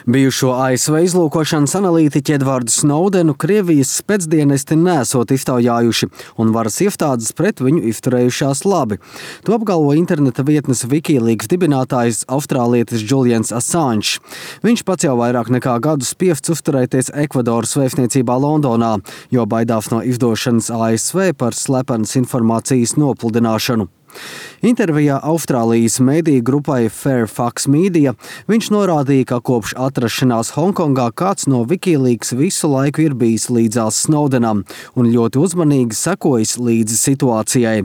Bijušo ASV izlūkošanas analītiķi Edvardu Snowdenu Krievijas spēcdienesti nesot iztaujājuši, un varas iestādes pret viņu izturējušās labi. To apgalvo interneta vietnes Wikileaks dibinātājs austrālietis Julians Assange. Viņš pats jau vairāk nekā gadu spiests uzturēties Ekvadoras vēstniecībā Londonā, jo baidās no izdošanas ASV par slepenas informācijas nopludināšanu. Intervijā Austrālijas mediju grupai Fairfax Media viņš norādīja, ka kopš atrašanās Hongkongā kāds no Wikileaks visu laiku ir bijis līdzās Snowdenam un ļoti uzmanīgi sekojis līdzi situācijai.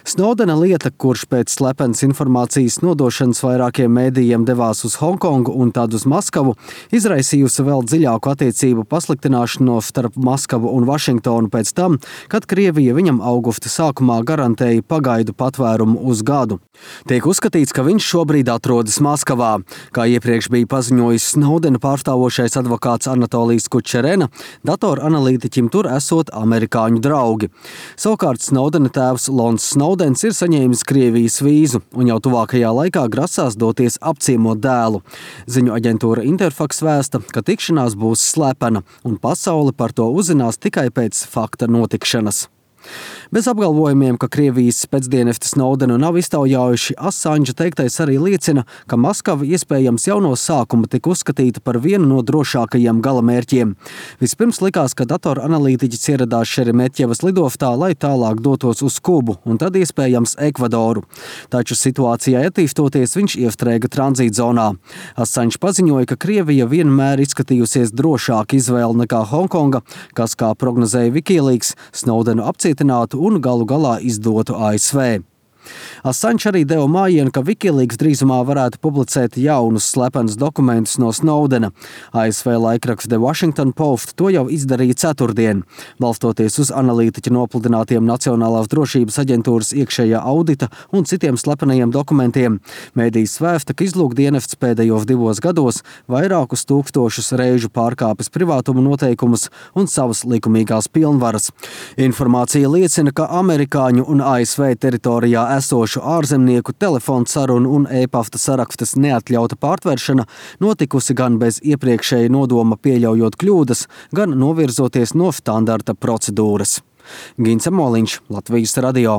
Snowdena lieta, kurš pēc slepenas informācijas nodošanas vairākiem mēdījiem devās uz Hongkongu un tad uz Maskavu, izraisījusi vēl dziļāku attiecību pasliktināšanos starp Maskavu un Vašingtonu pēc tam, kad Krievija viņam augusta sākumā garantēja pagaidu patvērumu uz gadu. Tiek uzskatīts, ka viņš šobrīd atrodas Maskavā. Kā iepriekš bija paziņojis Snowdena pārstāvošais advokāts Anatolijs Kučerena, datoranalītiķim tur esot amerikāņu draugi. Savukārt Snowdena tēvs Lons Snowdens ir saņēmis Krievijas vīzu un jau tuvākajā laikā grasās doties apciemot dēlu. Ziņu aģentūra Interfax vēsta, ka tikšanās būs slepena un pasaule par to uzzinās tikai pēc fakta notikšanas. Bez apgalvojumiem, ka Krievijas spēcdienesti Snowdenu nav iztaujājuši, Assange teiktais arī liecina, ka Maskava iespējams jau no sākuma tika uzskatīta par vienu no drošākajiem galamērķiem. Vispirms likās, ka datoranalītiķis ieradās Šeremetjevas lidostā, lai tālāk dotos uz Kubu un tad iespējams Ekvadoru. Taču situācijai attīstoties viņš iestrēga tranzītzonā. Assange paziņoja, ka Krievija vienmēr izskatījusies drošāka izvēle nekā Hongkonga, kas, kā prognozēja Wikileaks, Snowdenu apcietinātu un galu galā izdotu ASV. Assange arī deva mājienu, ka Wikileaks drīzumā varētu publicēt jaunus slepenus dokumentus no Snowdena. ASV laikraksts The Washington Post to jau izdarīja ceturtdien. Balstoties uz analītiķa nopludinātiem Nacionālās drošības aģentūras iekšējā audita un citiem slepenajiem dokumentiem, mēdījis vēsta, ka izlūkdienests pēdējos 2 gados vairākus tūkstošus reižu pārkāpis privātuma noteikumus un savas likumīgās pilnvaras. Informācija liecina, ka amerikāņu un ASV teritorijā esošu ārzemnieku telefonu sarunu un e-pasta sarakstas neatļauta pārtveršana notikusi gan bez iepriekšēja nodoma pieļaujot kļūdas, gan novirzoties no standarta procedūras. Gins Amoliņš, Latvijas radio.